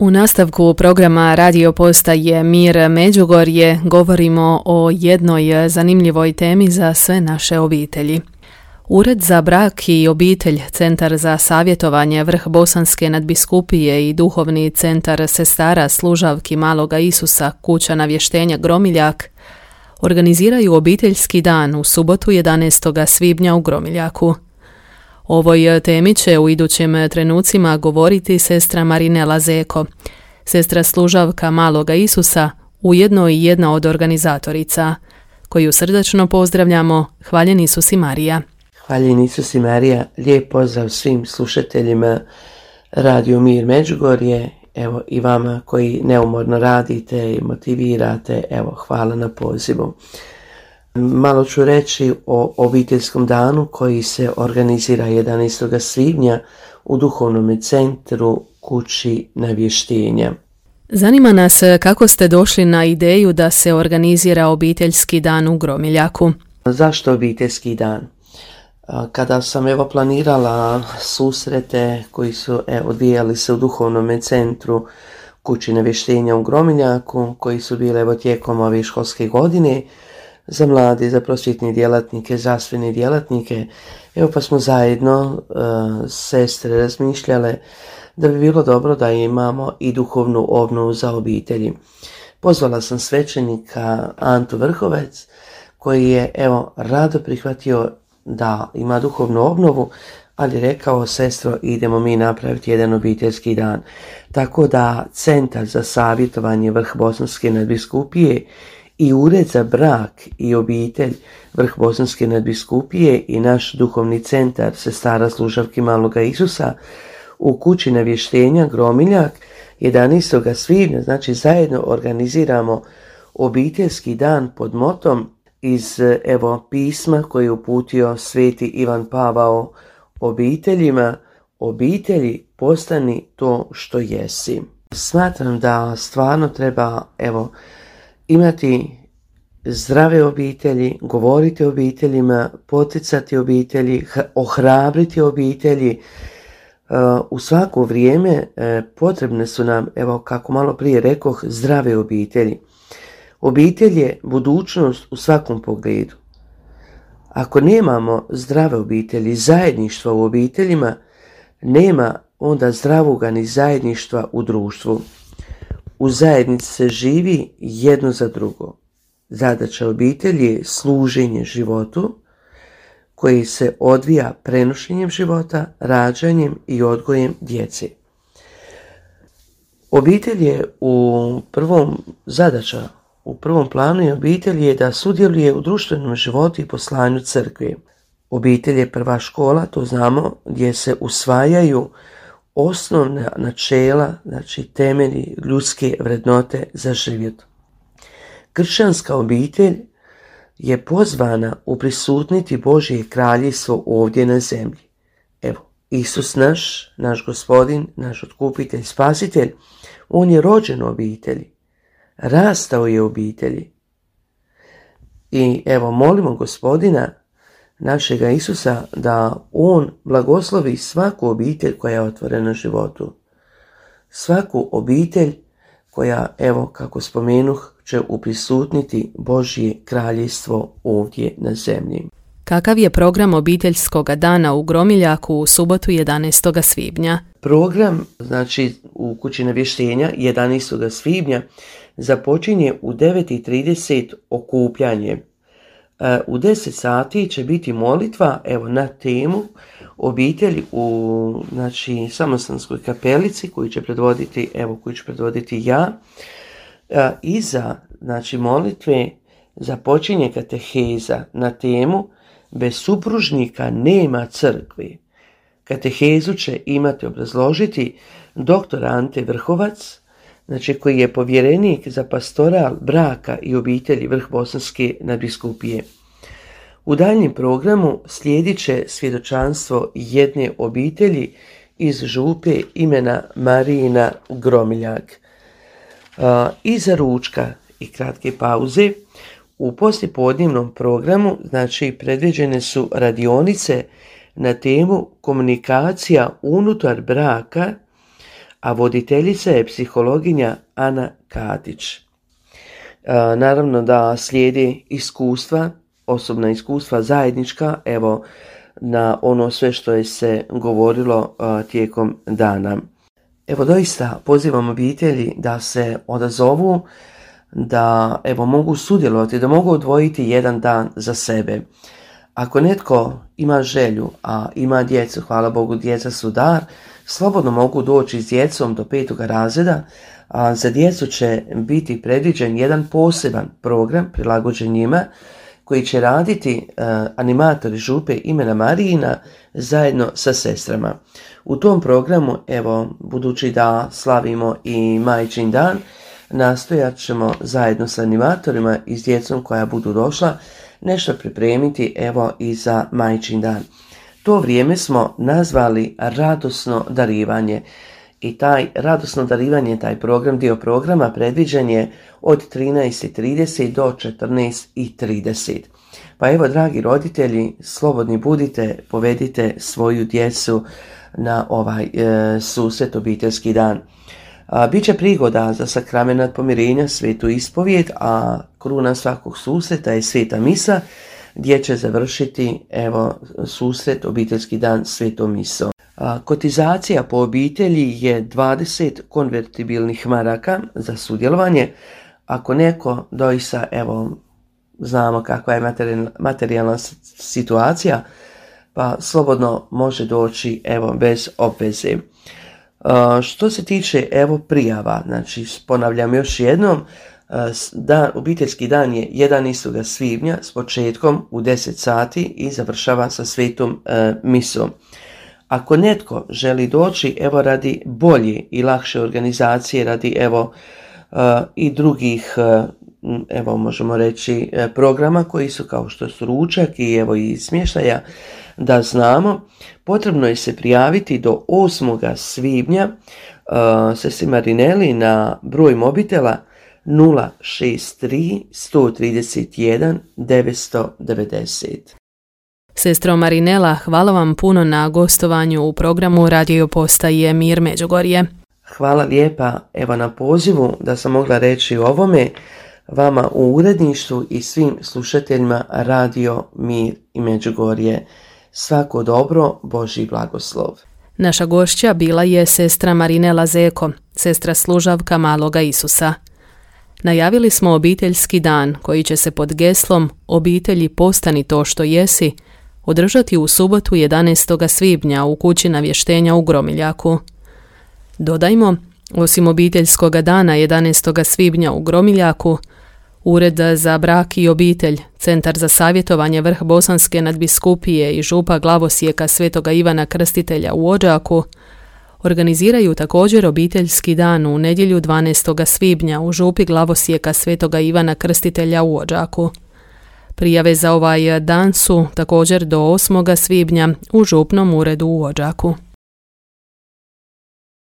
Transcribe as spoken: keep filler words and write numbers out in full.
U nastavku programa radio postaje Mir Međugorje govorimo o jednoj zanimljivoj temi za sve naše obitelji. Ured za brak i obitelj, Centar za savjetovanje Vrh Bosanske nadbiskupije i Duhovni centar sestara služavki Maloga Isusa, kuća navještenja Gromiljak, organiziraju obiteljski dan u subotu jedanaestog svibnja u Gromiljaku. O ovoj temi će u idućim trenucima govoriti sestra Marinela Zeko, sestra služavka Maloga Isusa, ujedno i jedna od organizatorica, koju srdačno pozdravljamo. Hvaljen Isus i Marija. Hvaljen Isus i Marija, lijep pozdrav svim slušateljima Radio Mir Međugorje, evo i vama koji neumorno radite i motivirate, evo hvala na pozivu. Malo ću reći o obiteljskom danu koji se organizira jedanaestog svibnja u Duhovnom centru kući navještenja. Zanima nas kako ste došli na ideju da se organizira obiteljski dan u Gromiljaku. Zašto obiteljski dan? Kada sam evo planirala susrete koji su evo, odvijali se u Duhovnom centru kući navještenja u Gromiljaku, koji su bile evo, tijekom ove školske godine, za mlade, za prosvjetne djelatnike, zdravstvene djelatnike. Evo pa smo zajedno uh, sestre razmišljale da bi bilo dobro da imamo i duhovnu obnovu za obitelji. Pozvala sam svećenika Antu Vrhovec koji je evo rado prihvatio da ima duhovnu obnovu, ali rekao: sestro, idemo mi napraviti jedan obiteljski dan. Tako da Centar za savjetovanje Vrh Bosanske nadbiskupije i Ured za brak i obitelj Vrh Bosanske nadbiskupije i naš duhovni centar sestara služavki Maloga Isusa u kući navještenja Gromiljak jedanaestog svibnja, znači zajedno organiziramo obiteljski dan pod motom iz evo pisma koje je uputio sveti Ivan Pavao obiteljima: obitelji, postani to što jesi. Smatram da stvarno treba evo imati zdrave obitelji, govoriti o obiteljima, poticati obitelji, ohrabriti obitelji. U svako vrijeme potrebne su nam, evo kako malo prije rekoh, zdrave obitelji. Obitelj je budućnost u svakom pogledu. Ako nemamo zdrave obitelji, zajedništva u obiteljima, nema onda zdravoga ni zajedništva u društvu. U zajednici se živi jedno za drugo. Zadaća obitelji je služenje životu koji se odvija prenošenjem života, rađanjem i odgojem djece. Obitelj je u prvom zadaća, u prvom planu je obitelj je da sudjeluje u društvenom životu i poslanju crkve. Obitelj je prva škola, to znamo, gdje se usvajaju osnovna načela, znači temelji ljudske vrednote za život. Kršćanska obitelj je pozvana uprisutniti Božje kraljevstvo ovdje na zemlji. Evo, Isus naš, naš gospodin, naš otkupitelj, spasitelj, on je rođen u obitelji, rastao je u obitelji. I evo, molimo gospodina našega Isusa da on blagoslovi svaku obitelj koja je otvorena životu. Svaku obitelj koja, evo kako spomenuh, će uprisutniti Božje kraljevstvo ovdje na zemlji. Kakav je program obiteljskog dana u Gromiljaku u subotu jedanaestog svibnja? Program, znači u kući navještenja jedanaestog svibnja započinje u devet i trideset okupljanje. U deset sati će biti molitva evo na temu obitelji u znači Samostanskoj kapelici koju će predvoditi evo koju ću predvoditi ja. Iza znači molitve započinje kateheza na temu bez supružnika nema crkve. Katehezu će imati obrazložiti doktor Ante Vrhovac, znači koji je povjerenik za pastoral braka i obitelji Vrh Bosanske nadbiskupije. U daljnjem programu slijedit će svjedočanstvo jedne obitelji iz župe imena Marijina Gromiljak. Iza ručka i kratke pauze u poslijepodnevnom programu znači predviđene su radionice na temu komunikacija unutar braka, a voditeljica je psihologinja Ana Katić. E, naravno da slijedi iskustva, osobna iskustva zajednička, evo na ono sve što je se govorilo e, tijekom dana. Evo doista pozivam obitelji da se odazovu, da evo mogu sudjelovati, da mogu odvojiti jedan dan za sebe. Ako netko ima želju, a ima djecu, hvala Bogu djeca su dar, slobodno mogu doći s djecom do petoga razreda, a za djecu će biti predviđen jedan poseban program prilagođen njima koji će raditi uh, animatori župe imena Marijina zajedno sa sestrama. U tom programu, evo, budući da slavimo i Majčin dan, nastojat ćemo zajedno sa animatorima i s djecom koja budu došla nešto pripremiti evo i za Majčin dan. To vrijeme smo nazvali radosno darivanje i taj radosno darivanje, taj program, dio programa predviđen je od trinaest i trideset do četrnaest i trideset. Pa evo dragi roditelji, slobodni budite, povedite svoju djecu na ovaj e, susret obiteljski dan. A, Biće prigoda za sakramenat pomirenja, svetu ispovijed, a kruna svakog susreta je sveta misa, gdje će završiti evo susret obiteljski dan svetom misom. A, kotizacija po obitelji je dvadeset konvertibilnih maraka za sudjelovanje. Ako neko doista, evo, znamo kakva je materijalna situacija, pa slobodno može doći evo bez obveze. Uh, što se tiče evo prijava, znači ponavljam još jednom, uh, dan, obiteljski dan je jedanaestog svibnja s početkom u deset sati i završava sa svetom uh, misom. Ako netko želi doći evo radi bolje i lakše organizacije, radi evo uh, i drugih uh, evo možemo reći programa koji su kao što su ručak i evo i smještaja, da znamo, potrebno je se prijaviti do osmog svibnja uh, sestri Marineli na broj mobitela nula šest tri, sto trideset jedan, devetsto devedeset. Sestro Marinela, hvala vam puno na gostovanju u programu Radio Postaje Mir Međugorje. Hvala lijepa evo na pozivu da sam mogla reći o ovome vama u uredništvu i svim slušateljima Radio Mir i Međugorje. Svako dobro, Božji blagoslov. Naša gošća bila je sestra Marinela Zeko, sestra služavka Maloga Isusa. Najavili smo obiteljski dan koji će se pod geslom Obitelji postani to što jesi održati u subotu jedanaestog svibnja u kući navještenja u Gromiljaku. Dodajmo, osim obiteljskog dana jedanaestog svibnja u Gromiljaku, Ured za brak i obitelj, Centar za savjetovanje Vrh Bosanske nadbiskupije i župa glavosijeka Svetoga Ivana Krstitelja u Odžaku organiziraju također obiteljski dan u nedjelju dvanaestog svibnja u župi glavosijeka Svetoga Ivana Krstitelja u Odžaku. Prijave za ovaj dan su također do osmog svibnja u župnom uredu u Odžaku.